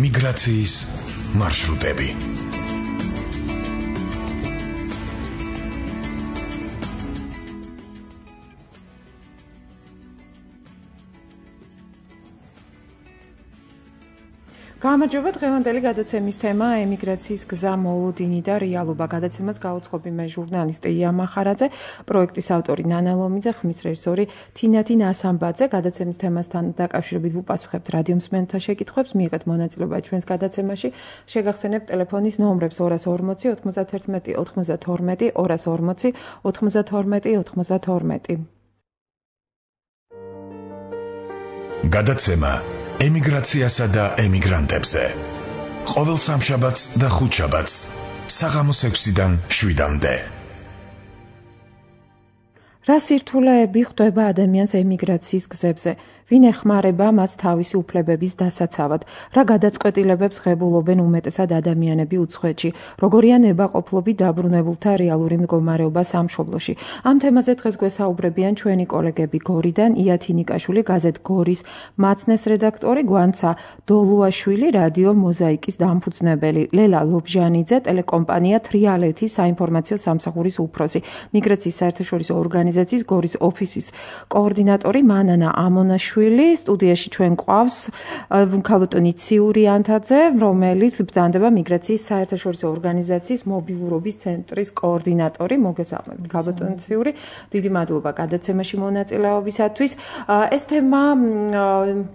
მიგრაციის მარშრუტები. გამარჯობა, დღევანდელი გადაცემის თემა ემიგრაციის გზა, მოლოდინი და რეალობა. გადაცემას გაუძღობი მე ჟურნალისტი ია მახარაძე, პროექტის ავტორი ნანა ლომიძე, ხმის რეჟისორი თინათი ნასამბაძე. გადაცემის თემასთან დაკავშირებით ვუპასუხებთ რადიომსმენელთა შეკითხვებს, მიიღეთ მონაწილეობა ჩვენს გადაცემაში. შეგახსენებთ ტელეფონის ნომრებს 240 91 92 240 92 92. გადაცემა ემიგრაციასა და ემიგრანტებზე. ყოველ სამშაბათს და ხუთშაბათს საღამოს 6-დან 7-მდე. რა სირთულეები ხვდება ადამიანს ემიგრაციის გზებზე? ვინ ეხმარება მას თავისი უფლებების დასაცავად? რა გადაწყვეტილებებს ღებულობენ უმეტესად ადამიანები უცხოეთში? როგორია ნებაყოფლობით დაბრუნებულთა რეალური მდგომარეობა სამშობლოში? ამ თემაზე დღეს გვესაუბრებიან ჩვენი კოლეგები გორიდან, ია თინიკაშვილი, გაზეთ გორის მაცნეს რედაქტორი, გვანცა დოლუაშვილი, რადიო მოზაიკის დამფუძნებელი, ლელა ლობჟანიძე, ტელეკომპანია თრიალეთის საინფორმაციო სამსახურის უფროსი, მიგრაციის საერთაშორისო ორგანიზაციის გორის ოფისის კოორდინატორი მანანა ამონაშვილი. სტუდიაში ჩვენ ყავს ქალბატონი ციური ანთაძე, რომელიც ბრძანდება მიგრაციის საერთაშორისო ორგანიზაციის მობილურობის ცენტრის კოორდინატორი. მოგესალმებით, ქალბატონი ციური. დიდი მადლობა გადაცემაში მონაწილეობისათვის. ეს თემა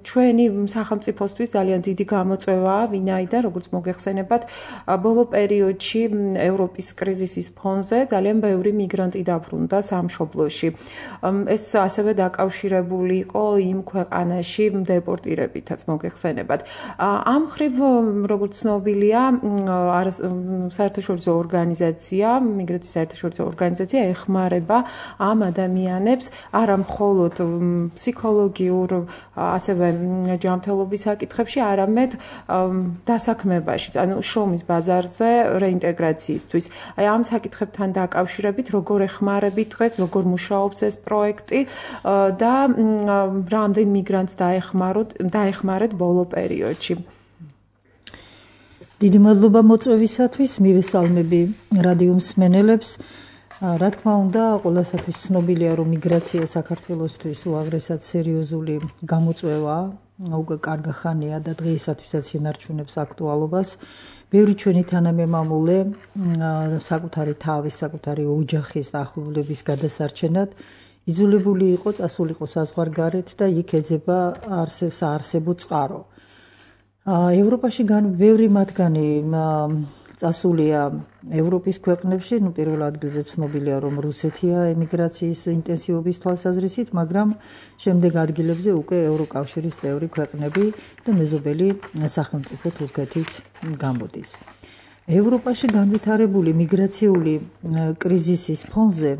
ჩვენი სახელმწიფოსთვის ძალიან დიდი გამოწვევაა, ვინაიდან, როგორც მოგეხსენებათ, ბოლო პერიოდში ევროპის კრიზისის ფონზე ძალიან ბევრი მიგრანტი დაბრუნდა სამშობლოში. ეს ასევე დაკავშირებული იყო იმ ქვეყანაში დეპორტირებითაც მოგეხსენებათ. ამ მხრივ, როგორც ცნობილია, საერთაშორისო ორგანიზაცია, მიგრაციის საერთაშორისო ორგანიზაცია ეხმარება ამ ადამიანებს არა მხოლოდ ფსიქოლოგიურ, ასევე ჯანმრთელობის საკითხებში, არამედ დასაქმებაში, ანუ შრომის ბაზარზე რეინტეგრაციისთვის. ამ საკითხებთან დაკავშირებით, როგორ ეხმარებით დღეს, როგორ მუშაობს ეს პროექტი და რამდენ მიგრანტს დაეხმარეთ ბოლო პერიოდში. დიდი მადლობა მოწვევისათვის, მივესალმები რადიომსმენელებს. რა თქმა უნდა, ყველასათვის ცნობილია, რომ მიგრაცია საქართველოსთვის უაღრესად სერიოზული გამოწვევაა, უკვე კარგი ხანია და დღეისათვისაც ინარჩუნებს აქტუალობას. ბევრი ჩვენი თანამემამულე საკუთარი თავის, საკუთარი ოჯახის და ახლობლების გადასარჩენად იძულებული იყო წასულიყო საზღვარგარეთ და იქ ეძება საარსებო წყარო. ევროპაში ბევრი მათგანი წასულია ევროპის ქვეყნებში, პირველ ადგილზე ცნობილია, რომ რუსეთია ემიგრაციის ინტენსივობის თვალსაზრისით, მაგრამ შემდეგ ადგილებზე უკვე ევროკავშირის წევრი ქვეყნები და მეზობელი სახელმწიფო თურქეთიც გამოდის. ევროპაში განვითარებული მიგრაციული კრიზისის ფონზე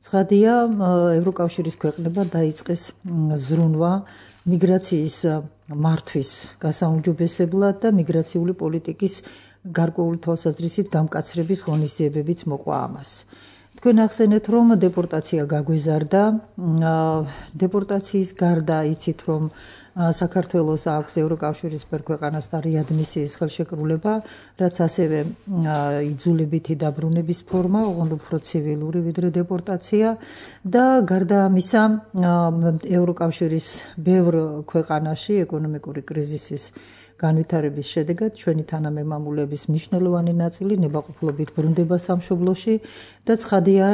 ცხადია, ევროკავშირის ქვეყნებმა დაიწყეს ზრუნვა მიგრაციის მართვის გასაუმჯობესებლად და მიგრაციული პოლიტიკის გარკვეული თვალსაზრისით გამკაცრების ღონისძიებებიც მოყვა ამას. თქვენ ახსენეთ, რომ დეპორტაცია გაგვეზარდა. დეპორტაციის გარდა იცით, რომ საქართველოს აქვს ევროკავშირის ქვეყანასთან რეადმისიის ხელშეკრულება, რაც ასევე იძულებითი დაბრუნების ფორმა, ოღონდ უფრო ცივილური ვიდრე დეპორტაცია და გარდა ამისა, ევროკავშირის ბევრ ქვეყანაში ეკონომიკური კრიზისის განვითარების შედეგად ჩვენი თანამემამულეების მნიშვნელოვანი ნაწილი ნებაყოფლობით ბრუნდება სამშობლოში და ცხადია,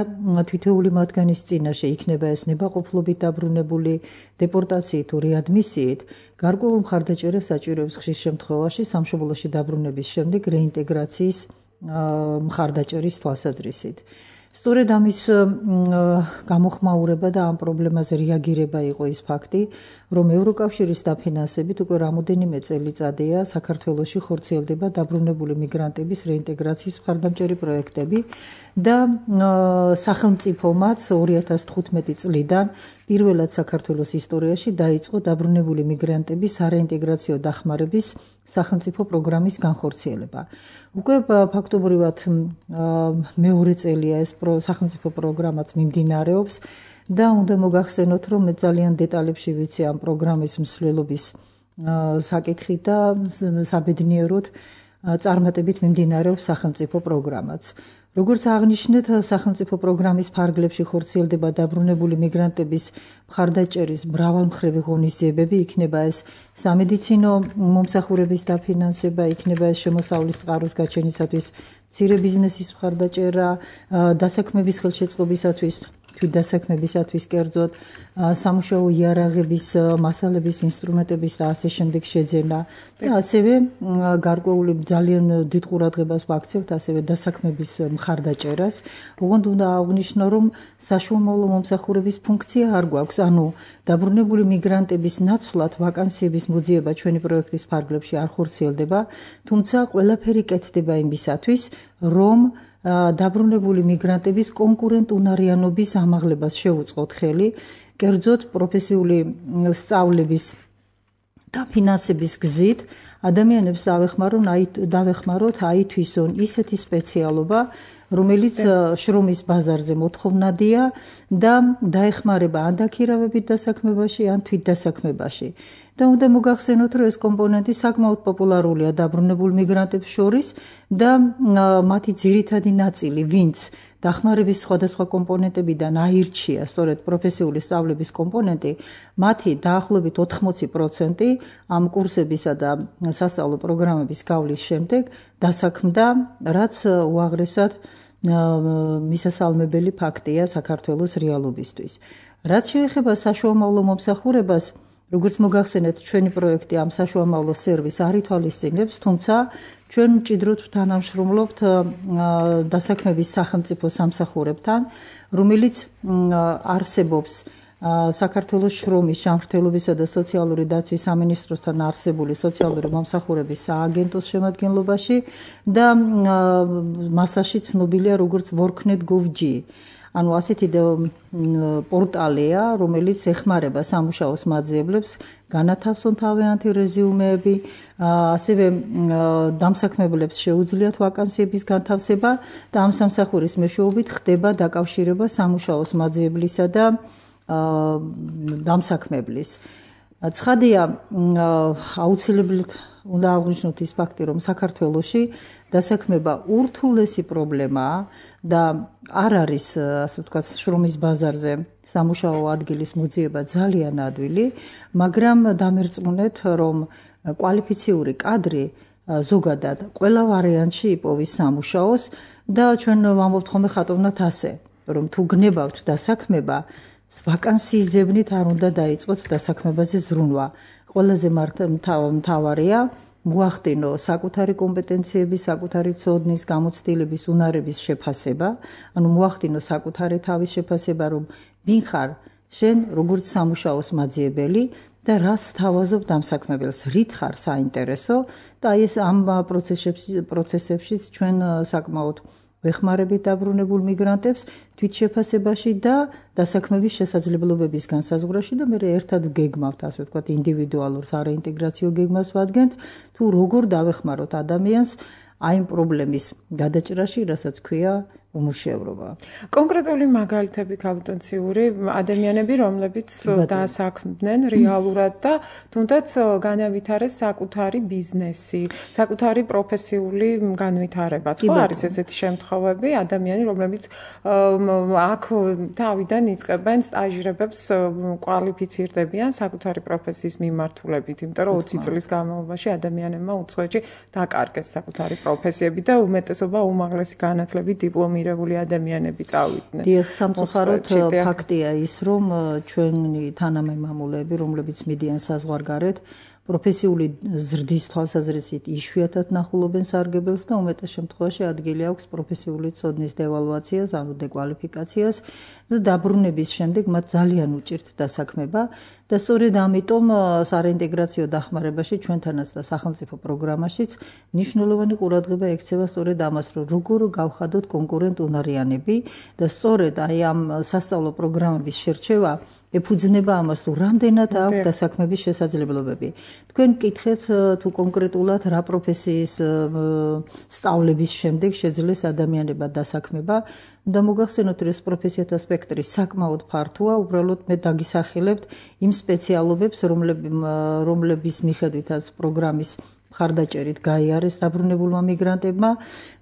თითოეული მათგანის წინაშე იქნება ეს ნებაყოფლობით დაბრუნებული დეპორტაციით თუ რეადმისიით, გარკვეულ მხარდაჭერას საჭიროებს ხშირ შემთხვევაში სამშობლოში დაბრუნების შემდეგ რეინტეგრაციის მხარდაჭერის თვალსაზრისით. სწორედ ამის გამოხმაურება და ამ პრობლემაზე რეაგირება იყო ის ფაქტი, რომ ევროკავშირის დაფინანსებით უკვე რამოდენიმე წელიწადია საქართველოში ხორციელდება დაბრუნებული მიგრანტების რეინტეგრაციის მხარდამჭერი პროექტები და სახელმწიფომაც 2015 წლიდან პირველად საქართველოს ისტორიაში დაიწყო დაბრუნებული მიგრანტების სარეინტეგრაციო დახმარების სახელმწიფო პროგრამის განხორციელება. უკვე ფაქტობრივად მეორე წელია ეს სახელმწიფო პროგრამაც მიმდინარეობს და უნდა მოგახსენოთ, რომ მე ძალიან დეტალებში ვიცი ამ პროგრამის მსვლელობის საკითხი და საბედნიეროდ წარმატებით მიმდინარეობს სახელმწიფო პროგრამაც. როგორც აღნიშნეთ, სახელმწიფო პროგრამის ფარგლებში ხორციელდება დაბრუნებული მიგრანტების მხარდაჭერის მრავალმხრივი ღონისძიებები, იქნება ეს სამედიცინო მომსახურების დაფინანსება, იქნება ეს შემოსავლის წყაროს გაჩენისათვის მცირე ბიზნესის მხარდაჭერა, დასაქმების ხელშეწყობისათვის, თვითდასაქმებისათვის კერძოდ, სამუშაო იარაღების, მასალების, ინსტრუმენტების და ასე შემდეგ შეძენა და ასევე გარკვეული ძალიან დიდ ყურადღებას ვაქცევთ ასევე დასაქმების მხარდაჭერას. ოღონდ უნდა აღვნიშნო, რომ საშუალო მომსახურების ფუნქცია არ გვაქვს, ანუ დაბრუნებული მიგრანტების ნაცვლად ვაკანსიების მოძიება ჩვენი პროექტის ფარგლებში არ ხორციელდება, თუმცა ყველაფერი კეთდება იმისათვის, რომ დაბრუნებული მიგრანტების კონკურენტუნარიანობის ამაღლებას შევუწყოთ ხელი, კერძოდ პროფესიული სწავლების დაფინანსების გზით ადამიანებს დავეხმაროთ აითვისონ ისეთი სპეციალობა, რომელიც შრომის ბაზარზე მოთხოვნადია და დაეხმარება ან დაქირავებით დასაქმებაში, ან თვითდასაქმებაში. და უნდა მოგახსენოთ, რომ ეს კომპონენტი საკმაოდ პოპულარულია დაბრუნებულ მიგრანტებს შორის და მათი ძირითადი ნაწილი, ვინც დახმარების სხვადასხვა კომპონენტებიდან აირჩია სწორედ პროფესიული სწავლების კომპონენტი, მათი დაახლოებით 80% ამ კურსებისა და სასწავლო პროგრამების გავლის შემდეგ დასაქმდა, რაც უაღრესად მისასალმებელი ფაქტია საქართველოს რეალობისთვის. რაც შეეხება საშუალო მომსახურებას, როგორც მოგახსენეთ, ჩვენი პროექტი ამ საშუალო სერვისს არ ითვალისწინებს, თუმცა ჩვენ მჭიდროდ ვთანამშრომლობთ დასაქმების სახელმწიფო სამსახურებთან, რომელიც არსებობს საქართველოს შრომის, ჯანმრთელობისა და სოციალური დაცვის სამინისტროსთან არსებული სოციალური მომსახურების სააგენტოს შემადგენლობაში და მასაში ცნობილია როგორც worknet.gov.g. ანუ ასეთი პორტალია, რომელიც ეხმარება სამუშაოს მაძიებლებს, განათავსონ თავიანთი რეზიუმეები, ასევე დამსაქმებლებს შეუძლიათ ვაკანსიების განთავსება და ამ სამსახურის მეშვეობით ხდება დაკავშირება სამუშაოს მაძიებლისა და დამსაქმებლის. ცხადია, აუცილებლად უნდა აღვნიშნოთ ის ფაქტი, რომ საქართველოში დასაქმება ურთულესი პრობლემაა და არ არის, ასე ვთქვათ, შრომის ბაზარზე სამუშაო ადგილის მოძიება ძალიან ადვილი, მაგრამ დამერწმუნეთ, რომ კვალიფიციური კადრი ზოგადად ყველა ვარიანტში იპოვის სამუშაოს და ჩვენ ვამბობთ ხოლმე ხატოვნად ასე, რომ თუ გნებავთ დასაქმება, ვაკანსიის ძებნით არ უნდა დაიწყოთ დასაქმებაზე ზრუნვა. ყველაზე მთავარია მოახდინო საკუთარი კომპეტენციების, საკუთარი ცოდნის, გამოცდილების, უნარების შეფასება, ანუ მოახდინო საკუთარი თავის შეფასება, რომ ვინ ხარ შენ როგორც სამუშაოს მაძიებელი და რას თავაზობ დამსაქმებელს, რით ხარ საინტერესო და ეს ამ პროცესებშიც ჩვენ საკმაოდ ვეხმარებით დაბრუნებულ მიგრანტებს თვითშეფასებაში და დასაქმების შესაძლებლობების განსაზღვრაში და მე ერთად გეგმავთ, ასე ვთქვათ, ინდივიდუალურ სარეინტეგრაციო გეგმას ვადგენთ, თუ როგორ დავეხმაროთ ადამიანს აი ამ პრობლემის გადაჭრაში, რასაც ქვია უმუშევრობა. კონკრეტული მაგალითები კავიტონციური ადამიანები, რომლებიც დაასაქმდნენ რეალურად და თუნდაც განავითარეს საკუთარი ბიზნესი, საკუთარი პროფესიული განვითარება. ხო არის ესეთი შემთხვევები, ადამიანები, რომლებიც აქ თავიდან იწყებენ სტაჟირებებს, კვალიფიცირდებიან საკუთარი პროფესიის მიმართულებით, იმიტომ რომ 20 წლის განმავლობაში ადამიანებმა უცხოეთში დაკარგეს საკუთარი პროფესიები და უმეტესობა უმაღლესი განათლებით დიპლომირებული ადამიანები წავიდნენ. დიახ, სამწუხაროდ ფაქტია ის, რომ ჩვენი თანამემამულეები, რომლებიც მიდიან საზღვარგარეთ, პროფესიული ზრდის თვალსაზრისით იშვიათად ნახულობენ სარგებელს და უმეტეს შემთხვევაში ადგილი აქვს პროფესიული ცოდნის დევალვაციას, ანუ დეკვალიფიკაციას და დაბრუნების შემდეგ მათ ძალიან უჭირთ დასაქმება და სწორედ ამიტომ სარეინტეგრაციო დახმარებაში ჩვენთანაც და სახელმწიფო პროგრამაშიც მნიშვნელოვანი ყურადღება ექცევა სწორედ ამას, რომ როგორ გავხადოთ კონკურენტუნარიანები და სწორედ აი ამ სასწავლო პროგრამების შერჩევა ეფუძნება ამას თუ რამდენად აქვს დასაქმების შესაძლებლობები. თქვენ გკითხეთ თუ კონკრეტულად რა პროფესიის სწავლების შემდეგ შეძლეს ადამიანებმა დასაქმება და მოგახსენოთ რომ ეს პროფესიათა სპექტრი საკმაოდ ფართოა, უბრალოდ მე დაგისახელებთ იმ სპეციალობებს, რომლების მიხედვითაც პროგრამის მხარდაჭერით გაიარეს დაბრუნებულმა მიგრანტებმა.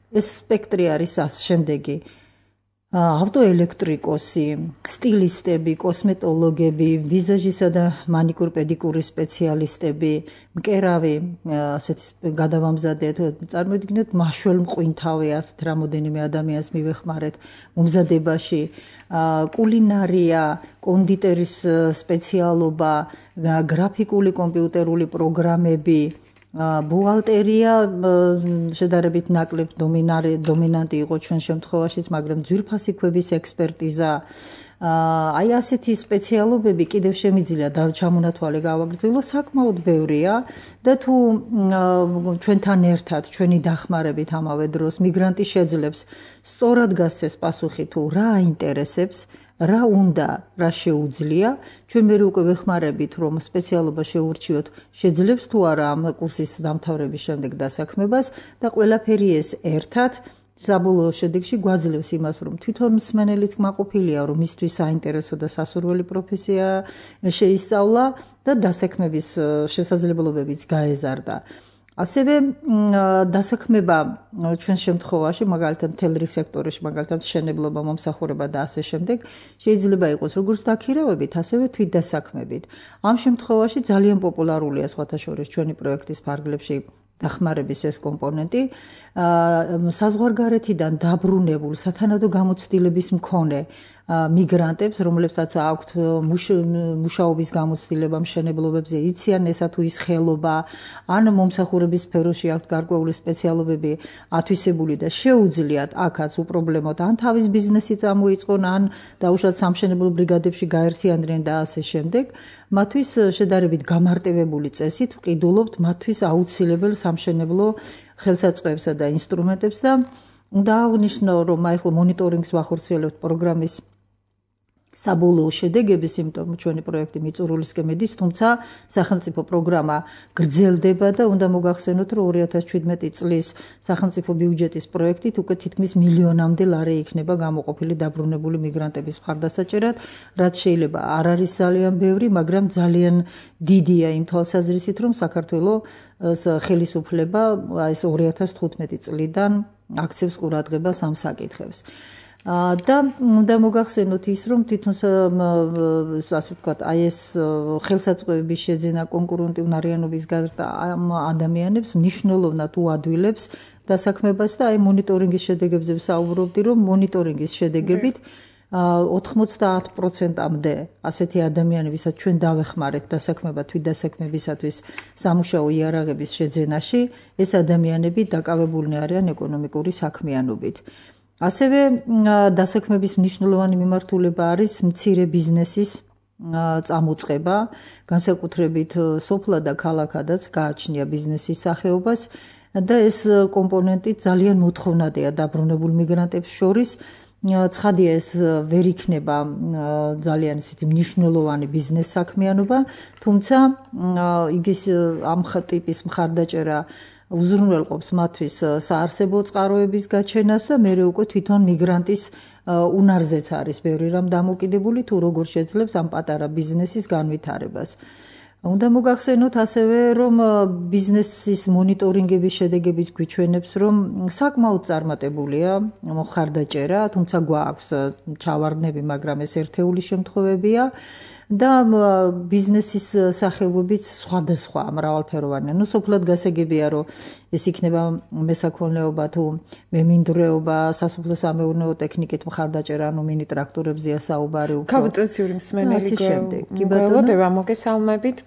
ეს სპექტრი არის შემდეგი: ავტოელექტრიკოსი, სტილისტები, კოსმეტოლოგები, ვიზაჟისა და მანიკურ-პედიკურის სპეციალისტები, მკერავი, ასეთი გადავამზადეთ, წარმოიდგინეთ, მაშველმყვინთავი, ასეთ რამოდენიმე ადამიანს მივეხმარეთ მომზადებაში, კულინარია, კონდიტერის სპეციალობა, გრაფიკული კომპიუტერული პროგრამები, ბუღალტერია შედარებით ნაკლებ დომინანტი იყო ჩვენ შემთხვევაშიც, მაგრამ ძვირფასი ქვების ექსპერტიზა, აი ასეთი სპეციალობები კიდევ შემიძლია და ჩამონათვალე გავაგრძელო, საკმაოდ ბევრია და თუ ჩვენთან ერთად, ჩვენი დახმარებით ამავე დროს მიგრანტი შეძლებს სწორად გასცეს პასუხი თუ რა აინტერესებს, რა უნდა, რა შეუძლია, ჩვენ მე უკვე ვეხმარებით, რომ სპეციალობა შეურჩიოთ, შეძლებს თუ არა ამ კურსის დამთავრების შემდეგ დასაქმებას და ყველაფერი ეს ერთად საბოლოო შედეგში გვაძლევს იმას, რომ თვითონ მსმენელიც კმაყოფილია, რომ მისთვის საინტერესო და სასურველი პროფესია შეისწავლა და დასაქმების შესაძლებლობებიც გაეზარდა. ასევე დასაქმება ჩვენ შემთხვევაში, მაგალითად მთელ რიგ სექტორებში, მაგალითად მშენებლობა, მომსახურება და ასე შემდეგ, შეიძლება იყოს როგორც დაქირავებით, ასევე თვითდასაქმებით. ამ შემთხვევაში ძალიან პოპულარულია სხვათა შორის ჩვენი პროექტის ფარგლებში დახმარების ეს კომპონენტი, საზღვარგარეთიდან დაბრუნებულ სათანადო გამოცდილების მქონე მიგრანტებს, რომლებსაც აქვთ მუშაობის გამოცდილება მშენებლობებზე, იციან ესა თუ ის ხელობა, ან მომსახურების სფეროში აქვთ გარკვეული სპეციალობები ათვისებული და შეუძლიათ აქაც უპრობლემოდ ან თავის ბიზნესი წამოიწყონ, ან დაუშვათ სამშენებლო ბრიგადებში გაერთიანდნენ და ასე შემდეგ. მათთვის შედარებით გამარტივებული წესით ვყიდულობთ მათთვის აუცილებელ სამშენებლო ხელსაწყოებსა და ინსტრუმენტებს და უნდა აღნიშნო, რომ ახლა მონიტორინგს ვახორციელებთ პროგრამის საბოლოო შედეგების, იმიტომ რომ ჩვენი პროექტი მიწურულისკენ მიდის, თუმცა სახელმწიფო პროგრამა გრძელდება და უნდა მოგახსენოთ, რომ 2017 წლის სახელმწიფო ბიუჯეტის პროექტით უკვე თითქმის მილიონამდე ლარი იქნება გამოყოფილი დაბრუნებული მიგრანტების მხარდასაჭერად, რაც შეიძლება არ არის ძალიან ბევრი, მაგრამ ძალიან დიდია იმ თვალსაზრისით, რომ საქართველოს ხელისუფლება ეს 2015 წლიდან აქცევს ყურადღებას ამ საკითხებს. და უნდა მოგახსენოთ ის, რომ თვითონ ასე ვთქვათ, აი ეს ხელსაწყოების შეძენა კონკურენტი უნარიანობის გაზრდა ამ ადამიანებს მნიშვნელოვნად უადვილებს დასაქმებას და აი მონიტორინგის შედეგებზე ვსაუბრობდი, რომ მონიტორინგის შედეგებით 90%-მდე ასეთი ადამიანებისაც ჩვენ დავეხმარეთ დასაქმება თვითდასაქმებისათვის სამუშაო იარაღების შეძენაში, ეს ადამიანები დაკავებულნი არიან ეკონომიკური საქმიანობით. ასევე დასაქმების მნიშვნელოვანი მიმართულება არის მცირე ბიზნესის წამოწყება, განსაკუთრებით სოფლა და ქალაქადაც გააჩნია ბიზნესის სახეობას და ეს კომპონენტი ძალიან მოთხოვნადია დაბრუნებულ მიგრანტებს შორის. ცხადია, ეს ვერ იქნება ძალიან ისეთი მნიშვნელოვანი ბიზნეს საქმიანობა, თუმცა იგის ამ ტიპის მხარდაჭერა უზრუნველყოფს მათთვის საარსებო წყაროების გაჩენას და მერე უკვე თვითონ მიგრანტის უნარზეც არის ბევრი რამ დამოკიდებული, თუ როგორ შეძლებს ამ პატარა ბიზნესის განვითარებას. უნდა მოგახსენოთ ასევე, რომ ბიზნესის მონიტორინგების შედეგებით გვიჩვენებს, რომ საკმაოდ წარმატებულია მხარდაჭერა, თუმცა გვაქვს ჩავარდნები, მაგრამ ეს ერთეული შემთხვევებია და ბიზნესის სახეობებიც სხვადასხვა მრავალფეროვანია. ნუ სოფლად გასაგებია, რომ ეს იქნება მესაქონლეობა თუ მემინდვრეობა, სასოფლო-სამეურნეო ტექნიკით მხარდაჭერა, ანუ მინი ტრაქტორებზეა საუბარი უფრო. კაპიტაციური მსმენელი გველოდება, მოგესალმებით.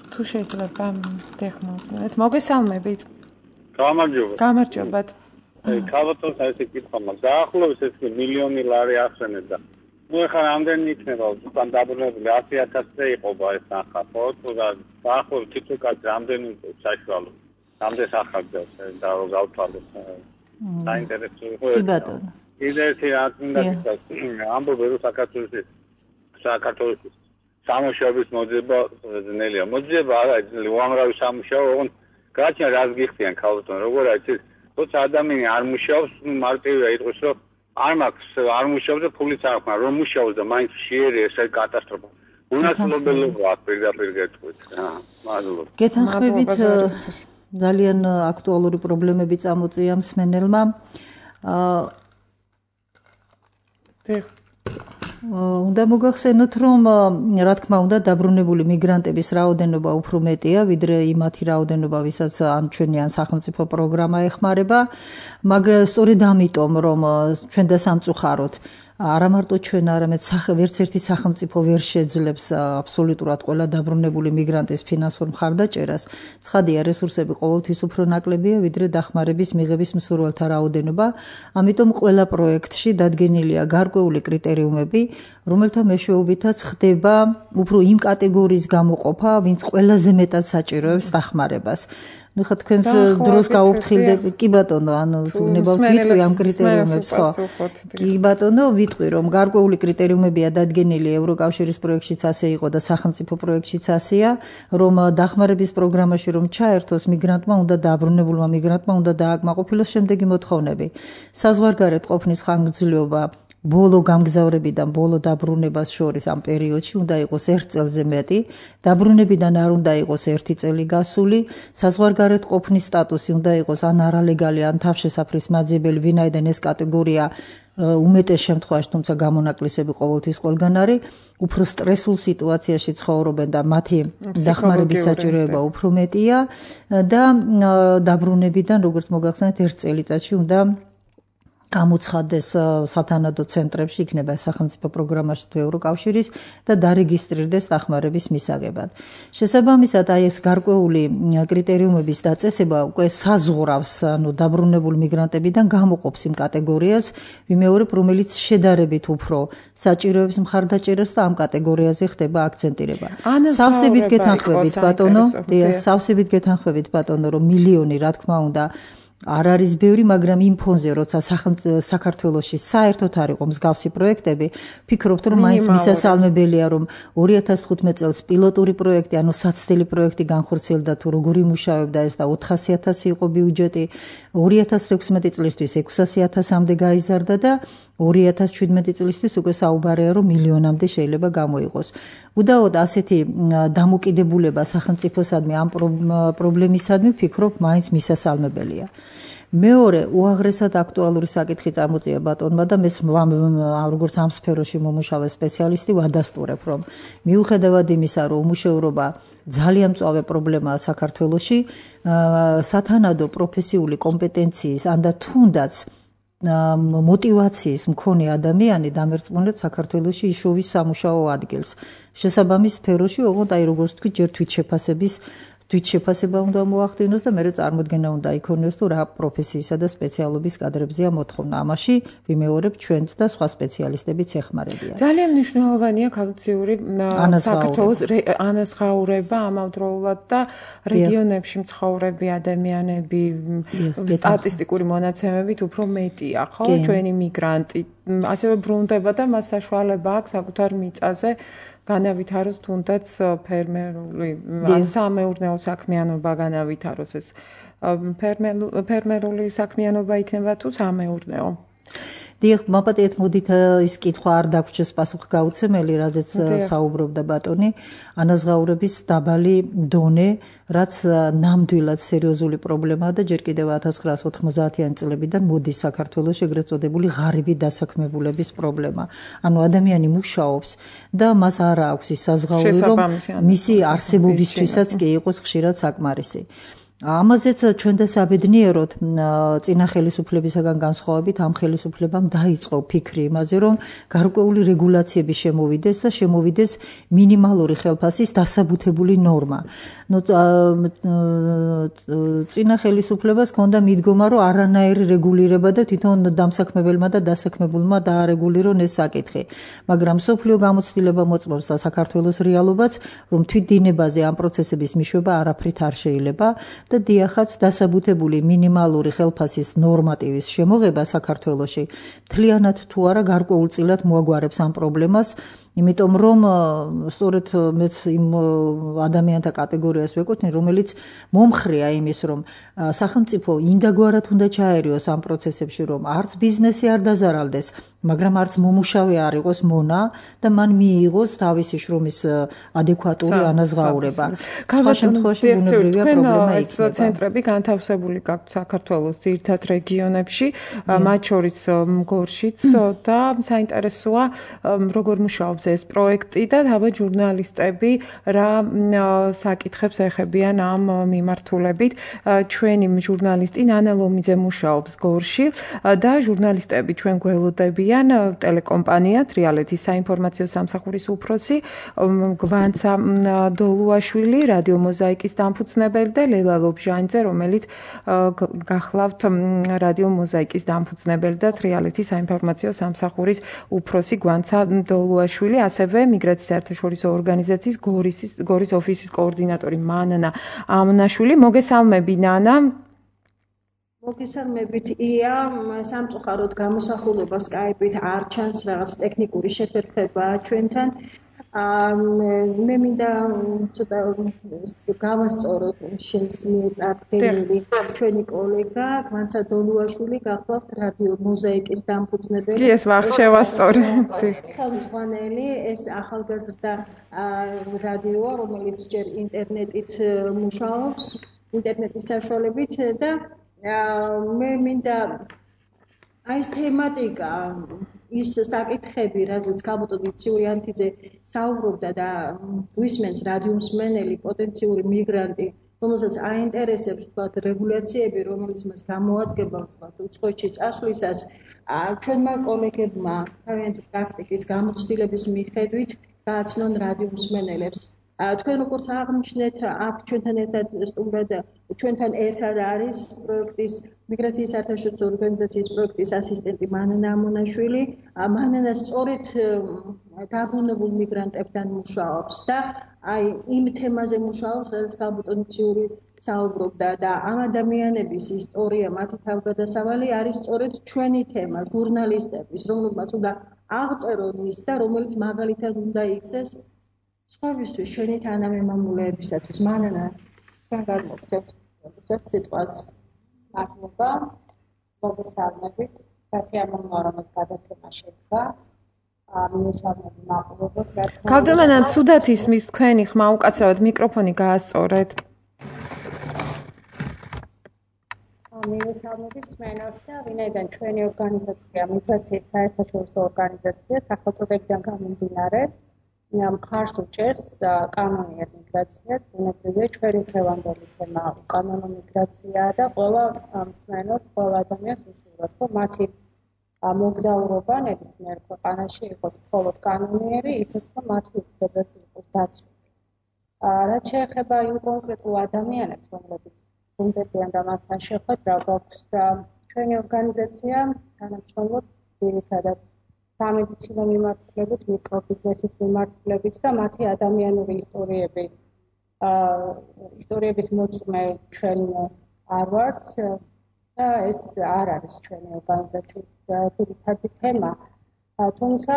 თუ შეიძლება დეხმაროთ. მოგესალმებით. გამარჯობათ. კაბატონს ესე კითხვა მაქვს. დაახლოებით ეს მილიონი ლარი ახსენეთ და ნუ ეხლა რამდენი იქნება უკან დაბრუნებული 100,000-ზე იყობა ეს ახლა ხო თუ დაახლოებით თითოეულ რამდენი საშუალო რამდენი ახალგაზრდა და გავთვალოთ საინტერესო იყო. კი ბატონო. კიდე ერთი რაც მინდა გითხრათ, ამბობენ რომ საქართველოს სამუშაობის მოძება ძნელია. მოძება არა, უამრავი სამუშაო, ოღონდ გაჩნია რაც გიხდიან ქალბატონ, როგორ არის თორსა ადამიანი არ მუშაობს, მარტივია იტყვის რომ არ მაქვს, არ მუშაობს და ფულიც არ აქვს, რომ მუშაობს და მაინც შეერია, ეს არის კატასტროფა. უნათლობელობა აქ პირდაპირ გეტყვით. მადლობა. გეთანხმებით ძალიან აქტუალური პრობლემები წამოწია მსმენელმა. უნდა მოგახსენოთ, რომ რა თქმა უნდა დაბრუნებული მიგრანტების რაოდენობა უფრო მეტია, ვიდრე იმათი რაოდენობა, ვისაც ამ ჩვენი სახელმწიფო პროგრამა ეხმარება, მაგრამ სწორედ ამიტომ, რომ ჩვენ და სამწუხაროდ არა მარტო ჩვენ, არამედ ვერც ერთი სახელმწიფო ვერ შეძლებს აბსოლუტურად ყველა დაბრუნებული მიგრანტის ფინანსურ მხარდაჭერას, ცხადია რესურსები ყოველთვის უფრო ნაკლებია, ვიდრე დახმარების მიღების მსურველთა რაოდენობა. ამიტომ ყველა პროექტში დადგენილია გარკვეული კრიტერიუმები, რომელთა მეშვეობითაც ხდება უფრო იმ კატეგორიის გამოყოფა, ვინც ყველაზე მეტად საჭიროებს დახმარებას. ნუ ხა თქვენს დროს გაუფრთხილდები, კი ბატონო, ანუ თუ ნებავთ ვიტყვი ამ კრიტერიუმებს, ხო? კი ბატონო, ვიტყვი, რომ გარკვეული კრიტერიუმებია დადგენილი ევროკავშირის პროექტშიც ასე იყო და სახელმწიფო პროექტშიც ასეა, რომ დახმარების პროგრამაში რომ ჩაერთოს მიგრანტმა უნდა დაბრუნებულმა მიგრანტმა უნდა დააკმაყოფილოს შემდეგი მოთხოვნები. საზღვარგარეთ ყოფნის ხანგრძლივობა ბოლო გამგზავრებიდან ბოლო დაბრუნებას შორის ამ პერიოდში უნდა იყოს 1 წელზე მეტი, დაბრუნებიდან არ უნდა იყოს 1 წელი გასული, საზღვარგარეთ ყოფნის სტატუსი უნდა იყოს ან არალეგალი, ან თავშესაფრის მაძიებელი, ვინაიდან ეს კატეგორია უმეტეს შემთხვევაში, თუმცა გამონაკლისები ყოველთვის ყველგან არის, უფრო სტრესულ სიტუაციაში ცხოვრობენ და მათი დახმარების საჭიროება უფრო მეტია და დაბრუნებიდან, როგორც მოგახსენეთ, 1 წელიწადში უნდა გამოცხადდეს სათანადო ცენტრებში, იქნება სახელმწიფო პროგრამაში თუ ევროკავშირის და დარეგისტრირდეს დახმარების მისაღებად. შესაბამისად, აი ეს გარკვეული კრიტერიუმების დაწესება უკვე საზღვრავს, ანუ დაბრუნებულ მიგრანტებიდან გამოყოფს იმ კატეგორიას, ვიმეორებ, რომელიც შედარებით უფრო საჭიროებს მხარდაჭერას და ამ კატეგორიაზე ხდება აქცენტირება. სავსებით გეთანხმებით, ბატონო, სავსებით გეთანხმებით, ბატონო, რომ მილიონი, რა თქმა უნდა, არ არის ბევრი, მაგრამ იმ ფონზე, როცა საქართველოში საერთოდ არ იყო მსგავსი პროექტები, ვფიქრობთ, რომ მაინც მისასალმებელია, რომ 2015 წელს პილოტური პროექტი, ანუ საცდელი პროექტი განხორციელდა თუ როგორ იმუშავებდა ეს და 400.000 იყო ბიუჯეტი, 2016 წლისთვის 600.000-მდე გაიზარდა და 2017 წლისთვის უკვე საუბარია, რომ მილიონამდე შეიძლება გამოიყოს. უდაოდ ასეთი დამოკიდებულება სახელმწიფოსადმი ამ პრობლემისადმი ვფიქრობ, მაინც მისასალმებელია. მეორე, უაღრესად აქტუალური საკითხი წამოწია ბატონმა და მეც როგორც ამ სფეროში მომუშავე სპეციალისტი ვადასტურებ, რომ მიუხედავად იმისა, რომ უმუშევრობა ძალიან მწვავე პრობლემაა საქართველოში, სათანადო პროფესიული კომპეტენციის ან და თუნდაც მოტივაციის მქონე ადამიანი დამერწმუნეთ საქართველოში იშოვის სამუშაო ადგილს. შესაბამის სფეროში, ოღონდ აი როგორც თქვი, ჯერ თვითშეფასება უნდა მოახდინოს და მერე წარმოდგენა უნდა იქონიოს, თუ რა პროფესიისა და სპეციალობის კადრებზეა მოთხოვნა. ამაში ვიმეორებ ჩვენც და სხვა სპეციალისტებიც ეხმარებიან. ძალიან მნიშვნელოვანია კაუციური საქართველოს ანაზღაურება ამავდროულად და რეგიონებში მცხოვრები ადამიანები სტატისტიკური მონაცემებით უფრო მეტია, ხო? ჩვენი მიგრანტი ასევე ბრუნდება და მას საშუალება აქვს საკუთარ მიწაზე განავითაროს თუნდაც ფერმერული სამეურნეო საქმიანობა განავითაროს, ეს ფერმერული საქმიანობა იქნება თუ სამეურნეო. დიახ, მაპატიეთ, მოდით ის კითხვა არ დაგვრჩეს პასუხგაუცემელი, რაზეც საუბრობდა ბატონი, ანაზღაურების დაბალი დონე, რაც ნამდვილად სერიოზული პრობლემაა და ჯერ კიდევ 1990-იანი წლებიდან მოდის საქართველოში ეგრეთ წოდებული ღარიბი დასაქმებულების პრობლემა. ანუ ადამიანი მუშაობს და მას არ აქვს ის საზღაური, რომ მისი არსებობისთვისაც კი იყოს ხშირად საკმარისი. ამაზეც ჩვენ და საბედნიეროდ წინა ხელისუფლებისაგან განსხვავებით ამ ხელისუფლებამ დაიწყო ფიქრი იმაზე, რომ გარკვეული რეგულაციები შემოვიდეს და შემოვიდეს მინიმალური ხელფასის დასაბუთებული ნორმა. წინა ხელისუფლებას ჰქონდა მიდგომა, რომ არანაირი რეგულირება და თვითონ დამსაქმებელმა და დასაქმებულმა დაარეგულირონ ეს საკითხი. მაგრამ მსოფლიო გამოცდილება მოწმობს და საქართველოს რეალობაც, რომ თვითდინებაზე ამ პროცესების მიშვება არაფრით არ შეიძლება და დიახაც დასაბუთებული მინიმალური ხელფასის ნორმატივის შემოღება საქართველოში მთლიანად თუ არა გარკვეულწილად მოაგვარებს ამ პრობლემას, იმიტომ რომ სწორედ მეც იმ ადამიანთა კატეგორიას ვეკუთვნი, რომელიც მომხრეა იმის, რომ სახელმწიფო ინდაგვარად უნდა ჩაერიოს ამ პროცესებში, რომ არც ბიზნესი არ დაზარალდეს, მაგრამ არც მომუშავე არ იყოს მონა და მან მიიღოს თავისი შრომის ადეკვატური ანაზღაურება. სხვა შემთხვევაში ბუნებრივია პრობლემა იქნება. ცენტრები განთავსებული გაქვთ საქართველოს ძირითად რეგიონებში, მათ შორის გორშიც და საინტერესოა როგორ მუშაობს ეს პროექტი და თავად ჟურნალისტები რა საკითხებს ეხებიან ამ მიმართულებით. ჩვენი ჟურნალისტი ნანა ლომიძე მუშაობს გორში და ჟურნალისტები ჩვენ გველოდებიან ტელეკომპანია თრიალეთის საინფორმაციო სამსახურის უფროსი გვანცა დოლუაშვილი, რადიო მოზაიკის დამფუძნებელი და ლელა ლობჟანიძე, რომელიც გახლავთ რადიო მოზაიკის დამფუძნებელი და თრიალეთის საინფორმაციო სამსახურის უფროსი გვანცა დოლუაშვილი, ასევე მიგრაციის საერთაშორისო ორგანიზაციის გორის ოფისის კოორდინატორი მანანა ამნაშვილი. მოგესალმები ნანა. მოგესალმებით ია, სამწუხაროდ გამოსახულება Skype-ით არ ჩანს, რაღაც ტექნიკური შეფერხება ჩვენთან. მე მინდა ცოტა გავასწოროთ შენს მიერ წარდგენილი ჩვენი კოლეგა გვანცა დოლუაშვილი გახლავთ რადიო მოზაიკის დამფუძნებელი. ეს ვახ შევასწორე. ხელმძღვანელი, ეს ახალგაზრდა რადიოა, რომელიც ჯერ ინტერნეტით მუშაობს, ინტერნეტის საშუალებით და მე მინდა აი ეს თემატიკა, ის საკითხები, რაზეც ქალბატონი ციურიანთიძე საუბრობდა და გვისმენს რადიო მსმენელი პოტენციური მიგრანტი, რომელსაც აინტერესებს ვთქვათ რეგულაციები, რომელიც მას გამოადგება ვთქვათ უცხოეთში წასვლისას, ჩვენმა კოლეგებმა თავიანთი პრაქტიკის გამოცდილების მიხედვით გააცნონ რადიო მსმენელებს. თქვენ როგორც აღნიშნეთ, აქ ჩვენთან ერთად არის პროექტის მიგრაციის საერთაშორისო ორგანიზაციის პროექტის ასისტენტი მანანა ამონაშვილი. მანანა სწორედ დაბრუნებულ მიგრანტებთან მუშაობს და აი იმ თემაზე მუშაობს, რაც ქალბატონი ციური საუბრობდა და ამ ადამიანების ისტორია, მათი თავგადასავალი არის სწორედ ჩვენი თემა, ჟურნალისტების, რომელმაც უნდა აღწერონ ის და რომელიც მაგალითად უნდა იქცეს სხვებისთვის, ჩვენი თანამემამულეებისათვის. მანანა, თქვენ გადმოგცემთ სიტყვას. მადლობა. მოგესალმებით. სასიამოვნოა, რომ ეს გადაცემა შედგა. მიესალმები მაყურებელს. ქალბატონო, ცუდად ისმის თქვენი ხმა, უკაცრავად მიკროფონი გაასწორეთ. მიესალმებით სმენელს და ვინაიდან ჩვენი ორგანიზაცია მიგრაციის საერთაშორისო ორგანიზაცია სახელწოდებიდან გამომდინარე მხარს უჭერს კანონიერ მიგრაციას, ბუნებრივია ჩვენი დღევანდელი თემა უკანონო მიგრაციაა და ყველა მსმენელს, ყველა ადამიანს უსურვოთ, რომ მათი მოგზაურობა ნებისმიერ ქვეყანაში იყოს მხოლოდ კანონიერი, ისიც რომ მათი უფლებები იყოს დაცული. რაც შეეხება იმ კონკრეტულ ადამიანებს, რომლებიც უნდებიან და მათთან შეხვედრა გვაქვს, ჩვენი ორგანიზაცია თანამშრომლობს ძირითადად სამედიცინო მიმართულებით, მიკრობიზნესის მიმართულებით და მათი ადამიანური ისტორიების მოწმე ჩვენ არ ვართ და ეს არ არის ჩვენი ორგანიზაციის ძირითადი თემა. თუმცა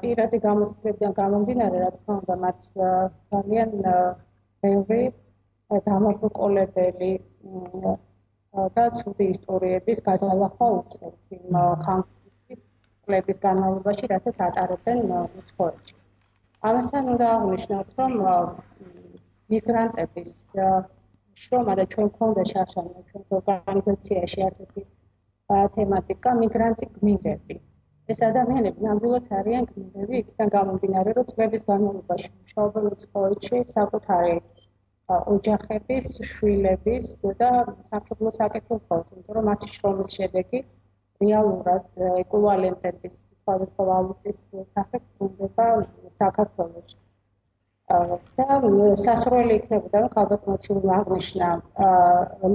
პირადი გამოცდილებიდან გამომდინარე, რა თქმა უნდა, მათ ძალიან ბევრი დამაბრკოლებელი და ცუდი ისტორიების გადალახვა უწევთ იმ ხანების განმავლობაში, რასაც ატარებენ უცხოეთში. ამასთან უნდა აღვნიშნოთ, რომ მიგრანტების შრომა და ჩვენ გვქონდა შარშანა ჩვენს ორგანიზაციაში ასეთი თემატიკა მიგრანტი გმირები. ეს ადამიანები ნამდვილად არიან გმირები, იქიდან გამომდინარე, რომ წლების განმავლობაში მუშაობენ უცხოეთში საკუთარი ოჯახების, შვილების და სამშობლოს აკეთებენ, იმიტომ რომ მათი შრომის შედეგი რეალურად ეკვივალენტების სხვადასხვა ვალუტის სახით ბრუნდება საქართველოში. და სასურველი იქნებოდა, რომ ქალბატონმა ციურმა აღნიშნა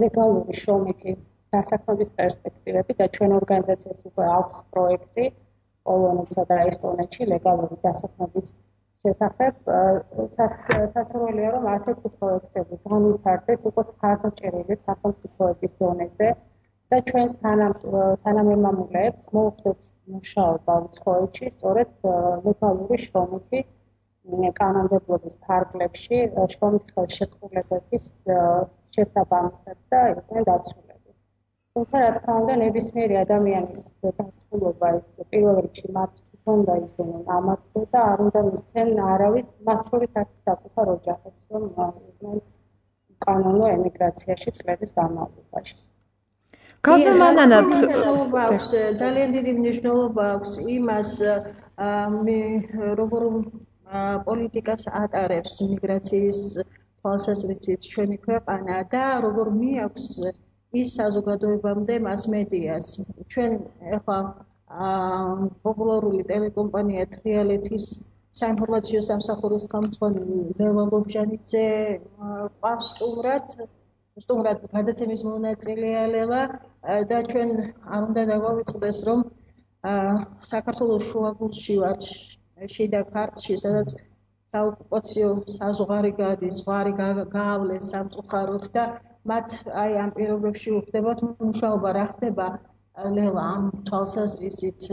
ლეგალური შრომითი დასაქმების პერსპექტივები და ჩვენ ორგანიზაციას უკვე აქვს პროექტი პოლონეთსა და ესტონეთში ლეგალური დასაქმების შესახებ სასურველია რომ ასეთი პროექტები განვითარდეს იყოს ხარჯაჭერილი სახელმწიფოების დონეზე და ჩვენს თანამემამულეებს მოუხდეთ მუშაობა უცხოეთში სწორედ ლეგალური შრომითი კანონმდებლობის ფარგლებში შრომითი ხელშეკრულებების შესაბამისად და იყვნენ დაცულები. თუმცა რა თქმა უნდა ნებისმიერი ადამიანის დაცულობა ის პირველ რიგში მათ უნდა ისინი ამაცდე და არ უნდა მისცენ არავის მათ შორის არც საკუთარ ოჯახებს რომ იყვნენ კანონო ემიგრაციაში წლების განმავლობაში. ძალიან დიდი მნიშვნელობა აქვს იმას როგორ პოლიტიკას ატარებს მიგრაციის თვალსაზრისით ჩვენი ქვეყანა და როგორ მიაქვს ის საზოგადოებამდე მასმედიას. ჩვენ ახლა პოპულარული ტელეკომპანია თრიალეთის საინფორმაციო სამსახურის ხელმძღვანელი ლელა ლობჟანიძე ყავს სტუმრად გადაცემის მონაწილეა ლელა და ჩვენ არ უნდა დაგვავიწყდეს რომ საქართველოს შუაგულში ვართ შიდა ქართლში სადაც საოკუპაციო საზღვარი გადის ზღვარი გაავლეს სამწუხაროდ და მათ აი ამ პირობებში უხდებათ მუშაობა რა ხდება ლელა ამ თვალსაზრისით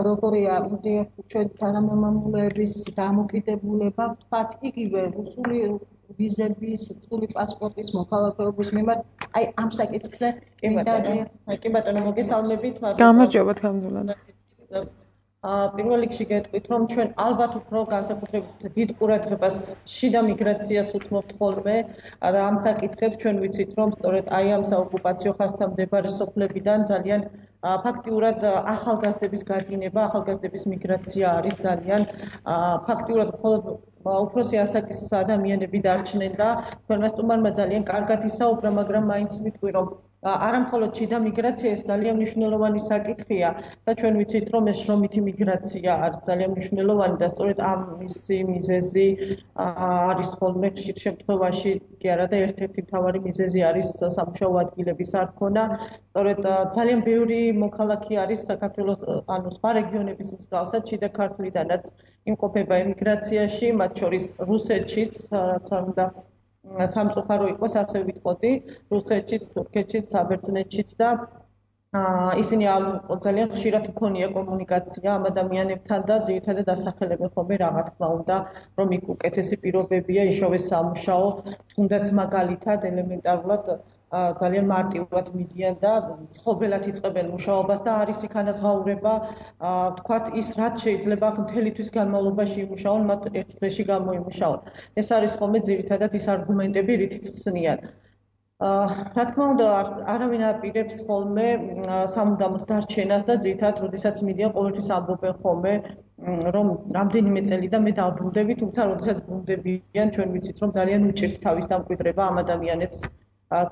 როგორია ჩვენ თანამემამულეების დამოკიდებულება ვთქვათ იგივე რუსული ვიზების, რუსული პასპორტის მოქალაქეობის მიმართ აი ამ საკითხზე კი ბატონო მოგესალმებით გამარჯობა თქამდულად პირველ რიგში გეტყვით რომ ჩვენ ალბათ უფრო განსაკუთრებით დიდ ყურადღებას შიდა მიგრაციას უთმობთ ხოლმე და ამ საკითხებს ჩვენ ვიცით რომ სწორედ აი ამ საოკუპაციო ხაზთან მდებარე სოფლებიდან ძალიან ფაქტიურად ახალგაზრდების გადინება, ახალგაზრდების მიგრაცია არის ძალიან ფაქტიურად მხოლოდ უფროსი ასაკის ადამიანები დარჩნენ და თქვენმა სტუმარმა ძალიან კარგად ისაუბრა, მაგრამ მაინც ვიტყვი რომ არა მხოლოდ შიდა მიგრაცია ეს ძალიან მნიშვნელოვანი საკითხია და ჩვენ ვიცით რომ ეს შრომითი მიგრაცია არის ძალიან მნიშვნელოვანი და სწორედ ამისი მიზეზი არის ხოლმე ხშირ შემთხვევაში კი არა და ერთ-ერთი მთავარი მიზეზი არის სამუშაო ადგილების არქონა სწორედ ძალიან ბევრი მოქალაქე არის საქართველოს ანუ სხვა რეგიონების მსგავსად შიდა ქართლიდანაც იმყოფება ემიგრაციაში მათ შორის რუსეთშიც რაც უნდა სამწუხარო იყოს ასე ვიტყოდი რუსეთშიც, თურქეთშიც, საბერძნეთშიც და ისინი ძალიან ხშირად იქონია კომუნიკაცია ამ ადამიანებთან და ძირითადად ასახელებენ ხოლმე რა თქმა უნდა რომ იქ უკეთესი პირობებია იშოვე სამუშაო თუნდაც მაგალითად ელემენტარულად ძალიან მარტივად მიდიან და ცხოველად იწყებენ მუშაობას და არის იქ ანაზღაურება თქვათ ის რაც შეიძლება მთელი თვის განმავლობაში იმუშაონ მათ ერთ დღეში გამოიმუშაონ ეს არის ხოლმე ძირითადად ის არგუმენტები რითიც ხსნიან რა თქმა უნდა არავინ აპირებს ხოლმე სამუდამოდ დარჩენას და ძირითადად როდესაც მიდიან ყოველთვის ამბობენ ხოლმე რომ რამდენიმე წელი და მე დავბრუნდები თუმცა როდესაც ბრუნდებიან ჩვენ ვიცით რომ ძალიან უჭირთ თავის დამკვიდრება ამ ადამიანებს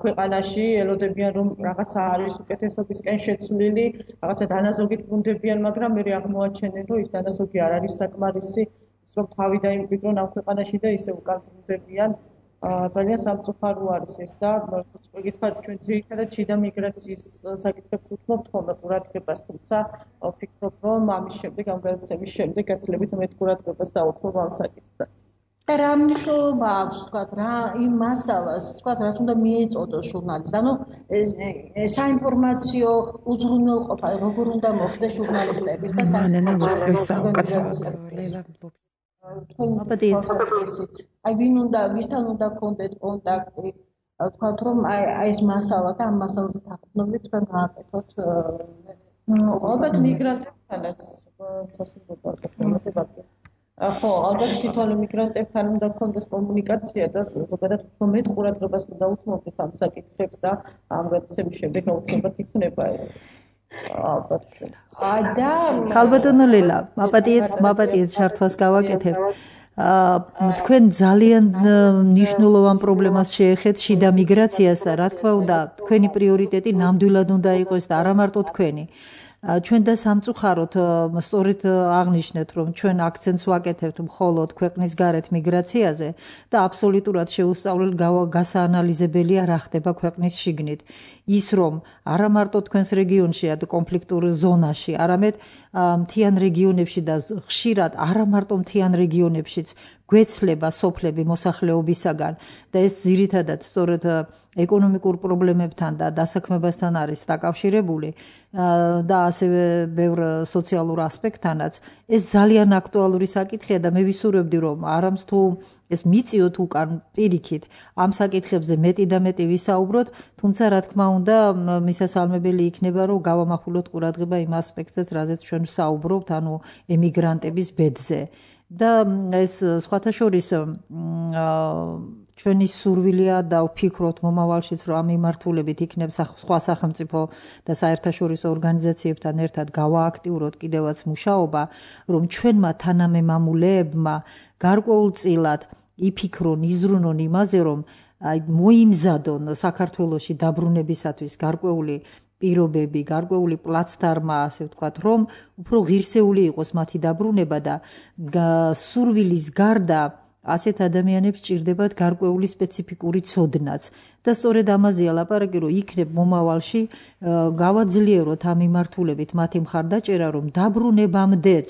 ქვეყანაში ელოდებიან რომ რაღაცა არის უკეთესობისკენ შეცვლილი, რაღაცა დანაზოგით ბრუნდებიან, მაგრამ მე აღმოაჩენენ რომ ის დანაზოგი არ არის საკმარისი, ის რომ თავი დაიმკვიდრონ ამ ქვეყანაში და ისე უკან ბრუნდებიან. ძალიან სამწუხარო არის ეს და გითხარით ჩვენ ძირითადად შიდა მიგრაციის საკითხებს უთმობთ ხოლმე ყურადღებას, თუმცა ვფიქრობ რომ ამის შემდეგ ამ გადაცემის შემდეგ გაცილებით მეტ ყურადღებას დავუთმობ ამ საკითხსაც. და რა მნიშვნელობა აქვს თქვათ რა იმ მასალას თქვათ რაც უნდა მიეწოდოს ჟურნალისტს ანუ საინფორმაციო უზრუნველყოფა როგორ უნდა მოხდეს ჟურნალისტების და აი ვინ უნდა ვისთან უნდა კონტაქტ კონტაქტი თქვათ რომ აი ეს მასალა და ამ მასალას დაყრდნობით თქვენ გააკეთოთ ალბათ მიგრანტებთანაც სასურველია ხო, ალბათ თვითონ მიგრანტებთან უნდა გქონდეს კომუნიკაცია და ზოგადად უფრო მეტ ყურადღებას უნდა უთმობდეთ ამ საკითხებს და ამ გადაცემის შემდეგ აუცილებლად იქნება ეს ალბათ და ხალბატონო ლელა, მაპატიეთ ჩართვას გავაკეთებ. თქვენ ძალიან მნიშვნელოვან პრობლემას შეეხეთ შიდა მიგრაციას და რა თქმა უნდა, თქვენი პრიორიტეტი ნამდვილად უნდა იყოს და არა მარტო თქვენი. ჩვენ და სამწუხაროდ სწორედ აღნიშნეთ, რომ ჩვენ აქცენტს ვაკეთებთ მხოლოდ ქვეყნის გარეთ მიგრაციაზე და აბსოლუტურად შეუსწავლელ გასაანალიზებელია რა ხდება ქვეყნის შიგნით. ის რომ არა მარტო თქვენს რეგიონშია და კონფლიქტურ ზონაში, არამედ მთიან რეგიონებში და ხშირად არა მარტო მთიან რეგიონებშიც გვეცლება სოფლები მოსახლეობისაგან და ეს ძირითადად სწორედ ეკონომიკურ პრობლემებთან და დასაქმებასთან არის დაკავშირებული და ასევე ბევრ სოციალურ ასპექტთანაც. ეს ძალიან აქტუალური საკითხია და მე ვისურვებდი, რომ არამც თუ ეს მიწიოთ უკან პირიქით ამ საკითხებზე მეტი და მეტი ვისაუბროთ, თუმცა რა თქმა უნდა მისასალმებელი იქნება, რომ გავამახვილოთ ყურადღება იმ ასპექტზეც, რაზეც ჩვენ ვსაუბრობთ, ანუ ემიგრანტების ბედზე. და ეს სხვათა შორის ჩვენი სურვილია და ვფიქრობთ მომავალშიც, რომ ამ მიმართულებით იქნებს სხვა სახელმწიფო და საერთაშორისო ორგანიზაციებთან ერთად გავააქტიუროთ კიდევაც მუშაობა, რომ ჩვენმა თანამემამულეებმა გარკვეულწილად იფიქრონ, იზრუნონ იმაზე, რომ მოიმზადონ საქართველოში დაბრუნებისათვის გარკვეული პირობები, გარკვეული პლაცდარმა, ასე ვთქვათ, რომ უფრო ღირსეული იყოს მათი დაბრუნება და სურვილის გარდა ასეთ ადამიანებს ჭირდებათ გარკვეული სპეციფიკური ცოდნაც. და სწორედ ამაზეა ლაპარაკი, რომ იქნებ მომავალში გავაძლიეროთ ამ მიმართულებით მათი მხარდაჭერა, რომ დაბრუნებამდეც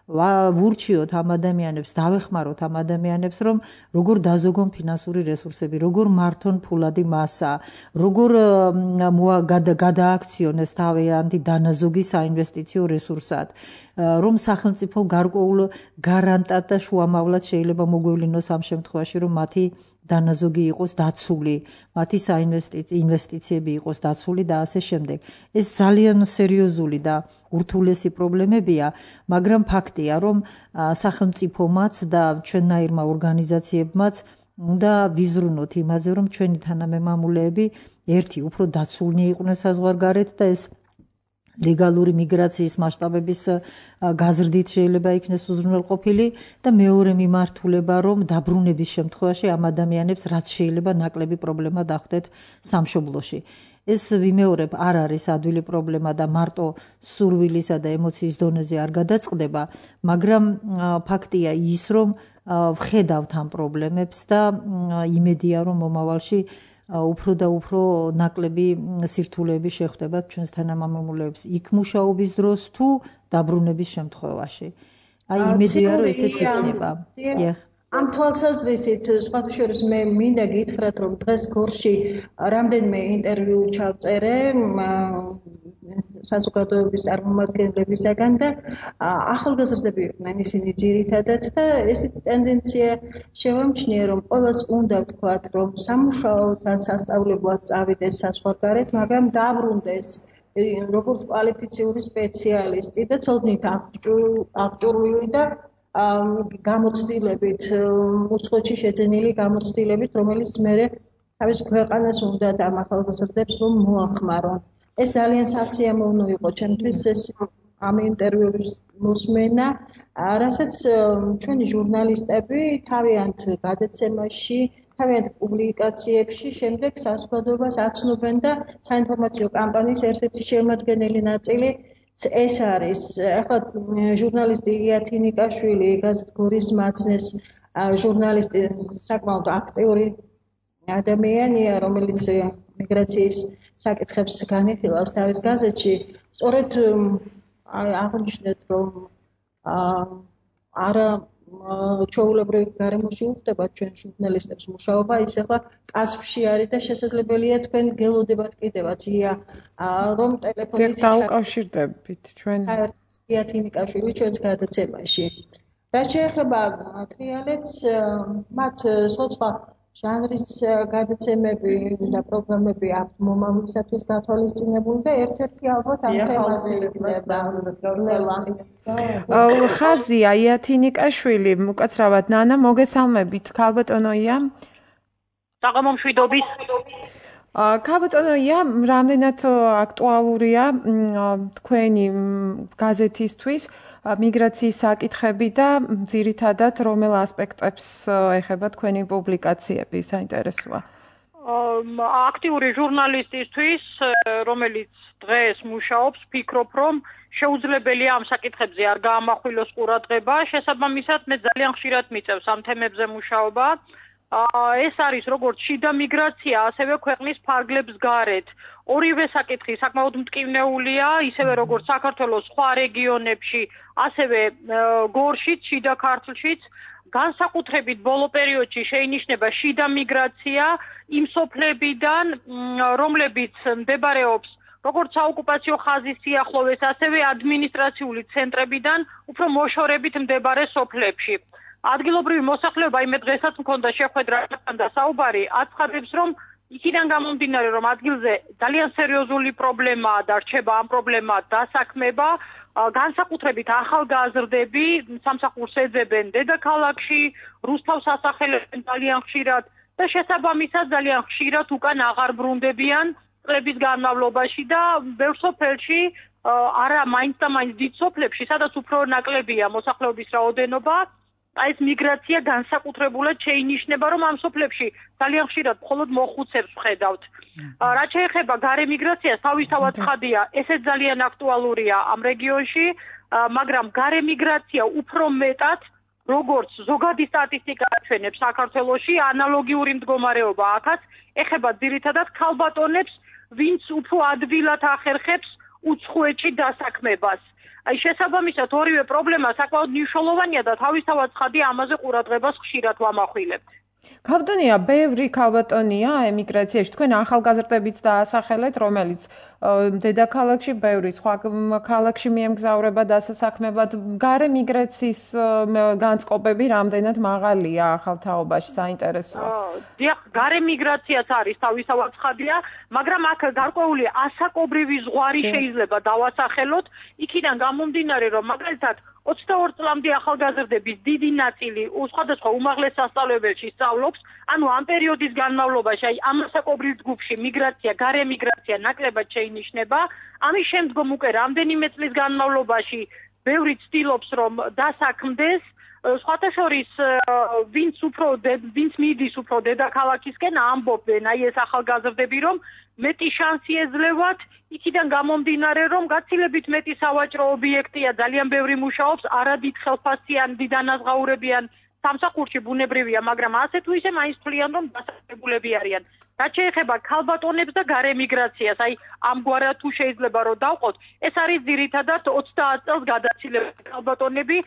ვურჩიოთ ამ ადამიანებს, დავეხმაროთ ამ ადამიანებს, რომ როგორ დაზოგონ ფინანსური რესურსები, როგორ მართონ ფულადი მასა, როგორ გადააქციონეს თავიანთი დანაზოგი საინვესტიციო რესურსად, რომ სახელმწიფო გარკვეულ გარანტად და შუამავლად შეიძლება მოგვევლინოს ამ შემთხვევაში, რომ მათი დანაზოგი იყოს დაცული, მათი ინვესტიციები იყოს დაცული და ასე შემდეგ. ეს ძალიან სერიოზული და ურთულესი პრობლემებია, მაგრამ ფაქტია, რომ სახელმწიფომაც და ჩვენნაირმა ორგანიზაციებმაც უნდა ვიზრუნოთ იმაზე, რომ ჩვენი თანამემამულეები ერთი უფრო დაცულნი იყვნენ საზღვარგარეთ და ეს ლეგალური მიგრაციის მასშტაბების გაზრდით შეიძლება იქნეს უზრუნველყოფილი და მეორე მიმართულება, რომ დაბრუნების შემთხვევაში ამ ადამიანებს რაც შეიძლება ნაკლები პრობლემა დახვდეთ სამშობლოში. ეს ვიმეორებ არ არის ადვილი პრობლემა და მარტო სურვილისა და ემოციის დონეზე არ გადაწყდება, მაგრამ ფაქტია ის, რომ ვხედავთ ამ პრობლემებს და იმედია, რომ მომავალში უფრო და უფრო ნაკლები სირთულეები შეხვდებათ ჩვენს თანამემამულეებს იქ მუშაობის დროს თუ დაბრუნების შემთხვევაში. აი იმედია, რომ ესეც იქნება. ამ თვალსაზრისით სხვათა შორის მე მინდა გითხრათ, რომ დღეს გორში რამდენიმე ინტერვიუ ჩავწერე საზოგადოების წარმომადგენლებისაგან და ახალგაზრდები იყვნენ ისინი ძირითადად და ესეთი ტენდენცია შევამჩნიე, რომ ყველას უნდა ვთქვათ, რომ სამუშაოდ ან სასწავლებლად წავიდეს საზღვარგარეთ, მაგრამ დაბრუნდეს როგორც კვალიფიციური სპეციალისტი და ცოდნით აღჭურვილი და გამოცდილებით, უცხოეთში შეძენილი გამოცდილებით, რომელიც მერე თავის ქვეყანას უნდა და ამ ახალგაზრდებს რომ მოახმარონ. ეს ძალიან სასიამოვნო იყო ჩემთვის ეს ამ ინტერვიუების მოსმენა, რასაც ჩვენი ჟურნალისტები თავიანთ გადაცემაში, თავიანთ პუბლიკაციებში შემდეგ საზოგადოებას აცნობენ და საინფორმაციო კამპანიის ერთ-ერთი შემადგენელი ნაწილი ეს არის. ახლა ჟურნალისტი იათინიკაშვილი, გაზეთ გორის მაცნეს ჟურნალისტი, საკმაოდ აქტიური ადამიანია, რომელიც მიგრაციის საკითხებს განიხილავს თავის გაზეთში. სწორედ აღნიშნეთ, რომ არა ჩვეულებრივ გარემოში უხდება ჩვენ ჟურნალისტებს მუშაობა, ის ახლა კასპში არის და შესაძლებელია თქვენ გელოდებათ კიდევაც რომ ტელეფონით დავუკავშირდებით ჩვენ იათინიკაშვილი ჩვენს გადაცემაში. რაც შეეხება ტრიალეთს, მათ სხვა ჟანრის გადაცემები და პროგრამები აქვს მომავლისათვის გათვალისწინებული და ერთ-ერთი ალბათ ამ თემაზე იქნება. ხაზია იათინიკაშვილი, უკაცრავად ნანა, მოგესალმებით, ქალბატონოია. საღამო მშვიდობის. ქალბატონოია, რამდენად აქტუალურია თქვენი გაზეთისთვის მიგრაციის საკითხები და ძირითადად რომელ ასპექტებს ეხება თქვენი პუბლიკაციები, საინტერესოა. აქტიური ჟურნალისტისთვის, რომელიც დღეს მუშაობს, ფიქრობ, რომ შეუძლებელია ამ საკითხებზე არ გაამახვილოს ყურადღება, შესაბამისად მე ძალიან ხშირად მიწევს ამ თემებზე მუშაობა. ეს არის როგორც შიდა მიგრაცია, ასევე ქვეყნის ფარგლებს გარეთ. ორივე საკითხი საკმაოდ მტკივნეულია, ისევე როგორც საქართველოს სხვა რეგიონებში, ასევე გორშიც, შიდა ქართლშიც. განსაკუთრებით ბოლო პერიოდში შეინიშნება შიდა მიგრაცია იმ სოფლებიდან, რომლებიც მდებარეობს როგორც საოკუპაციო ხაზის სიახლოვეს, ასევე ადმინისტრაციული ცენტრებიდან უფრო მოშორებით მდებარე სოფლებში. ადგილობრივი მოსახლეობა, მე დღესაც მქონდა შეხვედრა და საუბარი, აცხადებს, რომ იქიდან გამომდინარე, რომ ადგილზე ძალიან სერიოზული პრობლემაა და რჩება ამ პრობლემად დასაქმება, განსაკუთრებით ახალგაზრდები სამსახურს ეძებენ დედაქალაქში, რუსთავს ასახელებენ ძალიან ხშირად და შესაბამისად ძალიან ხშირად უკან აღარ ბრუნდებიან წლების განმავლობაში და ბევრ სოფელში, არა მაინც და მაინც დიდ სოფლებში, სადაც უფრო ნაკლებია მოსახლეობის რაოდენობა, ეს მიგრაცია განსაკუთრებულად შეინიშნება, რომ ამ სოფლებში ძალიან ხშირად მხოლოდ მოხუცებს ვხედავთ. რაც შეეხება გარე მიგრაციას, თავისთავად ცხადია, ესეც ძალიან აქტუალურია ამ რეგიონში, მაგრამ გარე მიგრაცია უფრო მეტად, როგორც ზოგადი სტატისტიკა აჩვენებს საქართველოში, ანალოგიური მდგომარეობა აქაც ეხება ძირითადად ქალბატონებს, ვინც უფრო ადვილად ახერხებს უცხოეთში დასაქმებას. შესაბამისად ორივე პრობლემა საკმაოდ მნიშვნელოვანია და თავისთავად ცხადია ამაზე ყურადღებას ხშირად ვამახვილებთ. ქალბატონია, ბევრი ქალბატონია ემიგრაციაში. თქვენ ახალგაზრდებიც დაასახელეთ, რომელიც დედაქალაქში, ბევრი სხვა ქალაქში მიემგზავრება დასაქმებლად. გარე მიგრაციის განწყობები რამდენად მაღალია ახალ თაობაში, საინტერესოა. დიახ, გარე მიგრაციაც არის თავისთავად ცხადია, მაგრამ აქ გარკვეული ასაკობრივი ზღვარი შეიძლება დავასახელოთ, იქიდან გამომდინარე, რომ მაგალითად 22 წლამდე ახალგაზრდების დიდი ნაწილი სხვადასხვა უმაღლეს სასწავლებელში სწავლობს, ანუ ამ პერიოდის განმავლობაში, აი ამ ასაკობრივ ჯგუფში მიგრაცია, გარე მიგრაცია ნაკლებად შეინიშნება, ამის შემდგომ უკვე რამდენიმე წლის განმავლობაში ბევრი ცდილობს, რომ დასაქმდეს, სხვათა შორის ვინც მიდის უფრო დედაქალაქისკენ, ამბობენ აი ეს ახალგაზრდები, რომ მეტი შანსი ეძლევათ, იქიდან გამომდინარე, რომ გაცილებით მეტი სავაჭრო ობიექტია, ძალიან ბევრი მუშაობს, არადით ხელფასიან, დიდანაზღაურებიან სამსახურში ბუნებრივია, მაგრამ ასე თუ ისე მაინც თვლიან, რომ დასაქმებულები არიან. რაც შეეხება ქალბატონებს და გარე მიგრაციას, აი ამგვარად თუ შეიძლება რომ დავყოთ, ეს არის ძირითადად 30 წელს გადაცილებული ქალბატონები,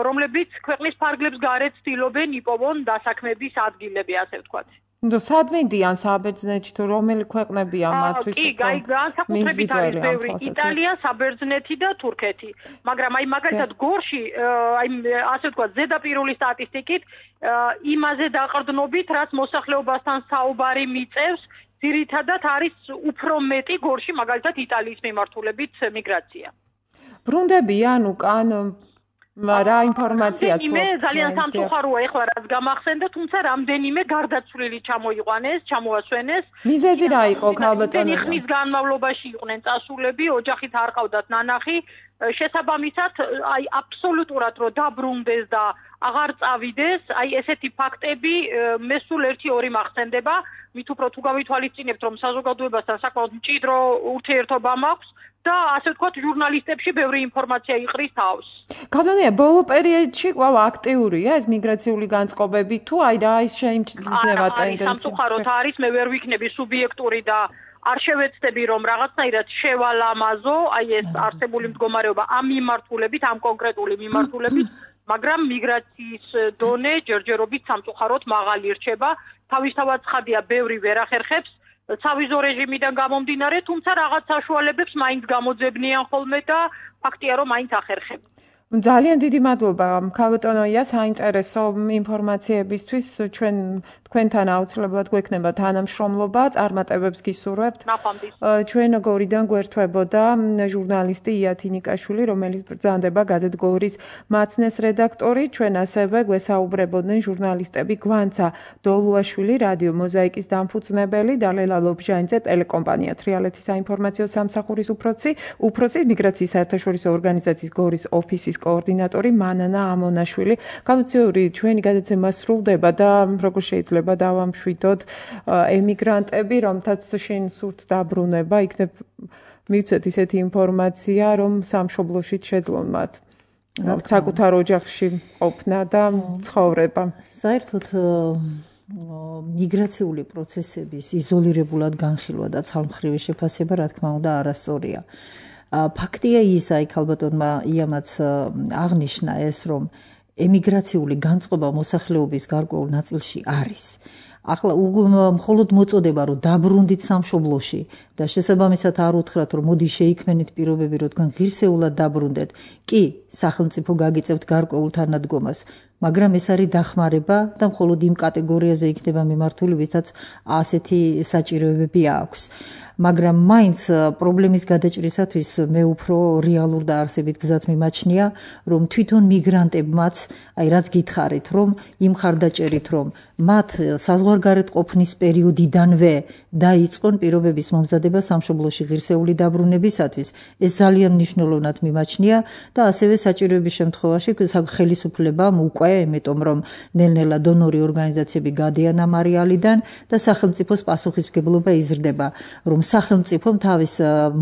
რომლებიც ქვეყნის ფარგლებს გარეთ ცდილობენ იპოვონ დასაქმების ადგილები, ასე ვთქვათ. სად მიდიან საბერძნეთში თუ რომელი ქვეყნებია მათთვის? კი, განსაკუთრებით არის ბევრი იტალია, საბერძნეთი და თურქეთი. მაგრამ აი მაგალითად გორში, აი ასე ვთქვათ, ზედაპირული სტატისტიკით იმაზე დაყრდნობით, რაც მოსახლეობასთან საუბარი მიწევს, ძირითადად არის უფრო მეტი გორში, მაგალითად იტალიის მიმართულებით მიგრაცია. ბრუნდებიან უკან რა ინფორმაციას მე ძალიან სამწუხაროა ეხლა რაც გამახსენდა, თუმცა რამდენიმე გარდაცვლილი ჩამოასვენეს. მიზეზი რა იყო ქალბატონებო? ხნის განმავლობაში იყვნენ წასულები, ოჯახით არ ყავდათ ნანახი, შესაბამისად აი აბსოლუტურად რომ დაბრუნდეს და აღარ წავიდეს, აი ესეთი ფაქტები მე სულ 1-2 მახსენდება, მით უფრო თუ გავითვალისწინებთ, რომ საზოგადოებასთან საკმაოდ მჭიდრო ურთიერთობა მაქვს და ასე ვთქვათ, ჟურნალისტებში ბევრი ინფორმაცია იყრის თავს. ქალბატონია, ბოლო პერიოდში კვლავ აქტიურია ეს მიგრაციული განწყობები თუ აი რა ის შეიმჩნევა ტენდენცია? სამწუხაროდ არის, მე ვერ ვიქნები სუბიექტური და არ შევეცდები რომ რაღაცნაირად შევალამაზო აი ეს არსებული მდგომარეობა ამ მიმართულებით, ამ კონკრეტული მიმართულებით, მაგრამ მიგრაციის დონე ჯერჯერობით სამწუხაროდ მაღალი რჩება. თავისთავად ცხადია, ბევრი ვერ ახერხებს სავიზო რეჟიმიდან გამომდინარე, თუმცა რაღაც საშუალებებს მაინც გამოძებნიან ხოლმე და ფაქტია რომ მაინც ახერხებენ. ძალიან დიდი მადლობა ქალბატონია საინტერესო ინფორმაციებისთვის. თქვენთან აუცილებლად გვექნება თანამშრომლობა, წარმატებებს გისურვებთ. ჩვენ გორიდან გვერდთვებოდა ჟურნალისტი იათინიკაშვილი, რომელიც ბრძანდება გაზეთ გორის მაცნეს რედაქტორი. ჩვენ ასევე გვესაუბრებოდნენ ჟურნალისტები გვანცა დოლუაშვილი, რადიო მოზაიკის დამფუძნებელი და ლელა ლობჟანიძე, ტელეკომპანია თრიალეთის საინფორმაციო სამსახურის უფროსი, მიგრაციის საერთაშორისო ორგანიზაციის გორის ოფისის კოორდინატორი მანანა ამონაშვილი. განუციური ჩვენი გადაცემა სრულდება და როგორ შეიძლება დავამშვიდოთ ემიგრანტები, რომთაც შენ სურთ დაბრუნება, იქნებ მივცეთ ისეთი ინფორმაცია, რომ სამშობლოში შეძლონ მათ საკუთარ ოჯახში ყოფნა და ცხოვრება. საერთოდ მიგრაციული პროცესების იზოლირებულად განხილვა და ცალმხრივი შეფასება, რა თქმა უნდა, არასწორია. ფაქტია ის, აი ქალბატონმა იამაც აღნიშნა ეს, რომ ემიგრაციული განწყობა მოსახლეობის გარკვეულ ნაწილში არის. ახლა მხოლოდ მოწოდება, რომ დაბრუნდით სამშობლოში და შესაბამისად არ უთხრათ, რომ მოდი შეიქმნით პირობები, რომ თქვენ ღირსეულად დაბრუნდეთ. კი, სახელმწიფო გაგიწევთ გარკვეულ თანადგომას, მაგრამ ეს არის დახმარება და მხოლოდ იმ კატეგორიაზე იქნება მიმართული, ვისაც ასეთი საჭიროებები აქვს. მაგრამ მაინც პრობლემის გადაჭრისათვის მე უფრო რეალურ და არსებით გზად მიმაჩნია, რომ თვითონ მიგრანტებმაც, აი რაც გითხარით, რომ იმ ხარდაჭერით, რომ მათ საზღვარგარეთ ყოფნის პერიოდიდანვე დაიწყონ პირობების მომზადება სამშობლოში ღირსეული დაბრუნებისათვის, ეს ძალიან მნიშვნელოვნად მიმაჩნია და ასევე საჭიროების შემთხვევაში ხელისუფლებამ უკვე, იმიტომ რომ ნელ-ნელა დონორი ორგანიზაციები გადიან ამ არეალიდან და სახელმწიფოს პასუხისმგებლობა იზრდება, რომ სახელმწიფომ თავის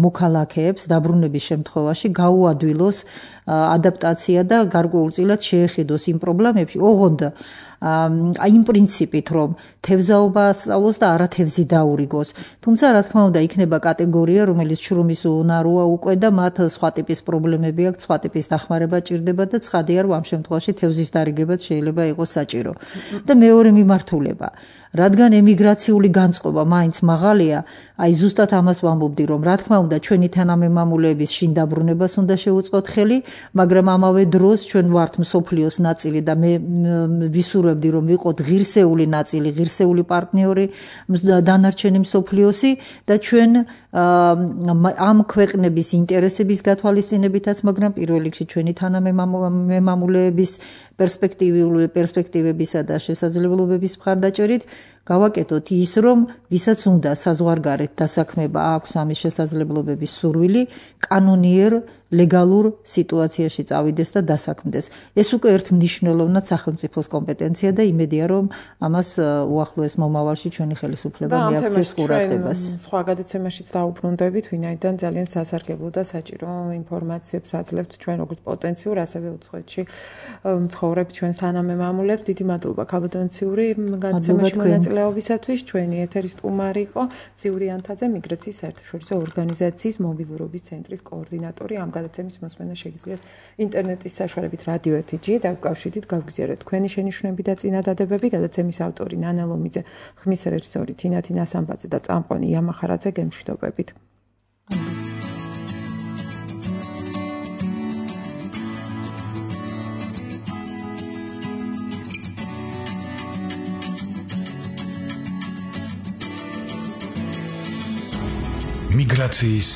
მოქალაქეებს დაბრუნების შემთხვევაში გაუადვილოს ადაპტაცია და გარკვეულწილად შეეხედოს იმ პრობლემებში, ოღონდ იმ პრინციპით, რომ თევზაობა ასწავლოს და არა თევზი დაურიგოს. თუმცა, რა თქმა უნდა, იქნება კატეგორია, რომელიც შრომის უნაროა უკვე და მათ სხვა ტიპის პრობლემები აქვს, სხვა ტიპის დახმარება ჭირდება და ცხადია, რომ ამ შემთხვევაში თევზის დარიგებაც შეიძლება იყოს საჭირო. და მეორე მიმართულება, რადგან ემიგრაციული განწყობა მაინც მაღალია, აი ზუსტად ამას ვამბობდი, რომ რა თქმა უნდა, ჩვენი თანამემამულეების შინ დაბრუნებას უნდა შევუწყოთ ხელი, მაგრამ ამავე დროს ჩვენ ვართ მსოფლიოს ნაწილი და მე ვისურვებდი, რომ ვიყოთ ღირსეული ნაწილი, ღირსეული პარტნიორი დანარჩენი მსოფლიოსი და ჩვენ ამ ქვეყნების ინტერესების გათვალისწინებითაც, მაგრამ პირველ რიგში ჩვენი თანამემამულეების პერსპექტივებისა და შესაძლებლობების მხარდაჭერით გავაკეთოთ ის, რომ ვისაც უნდა საზღვარგარეთ დასაქმება აქვს ამის შესაძლებლობების სურვილი, კანონიერ ლეგალურ სიტუაციაში წავიდეს და დასაქმდეს. ეს უკვე ერთ მნიშვნელოვნად სახელმწიფოს კომპეტენცია და იმედია, რომ ამას უახლოეს მომავალში ჩვენი ხელისუფლება მიაქცევს ყურადღებას. სხვა გადაცემაშიც დაუბრუნდებით, ვინაიდან ძალიან სასარგებლო და საჭირო ინფორმაციებს აძლევთ ჩვენ როგორც პოტენციურ, ასევე უცხოეთში მცხოვრებ ჩვენს თანამემამულებს. დიდი მადლობა ქალბატონ ციური გადაცემაში მონაწილეობისათვის. ჩვენი ეთერის სტუმარი იყო ციური ანთაძე, მიგრაციის საერთაშორისო ორგანიზაციის მობილურობის ცენტრის კოორდინატორი. ამ გადაცემის მოსმენა შეგიძლიათ ინტერნეტის საშუალებით რადიო 1-ში დაკავშირდით, გავგზავნეთ თქვენი შენიშვნები და წინადადებები. გადაცემის ავტორი ნანა ლომიძე, ხმის რეჟისორი თინათი ნასამბაძე და წამყვანი იამა ხარაძე, გემშვიდობებით. მიგრაციის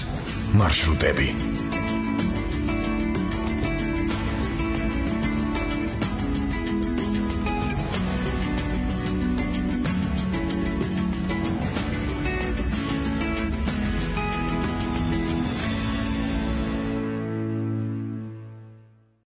მარშრუტები.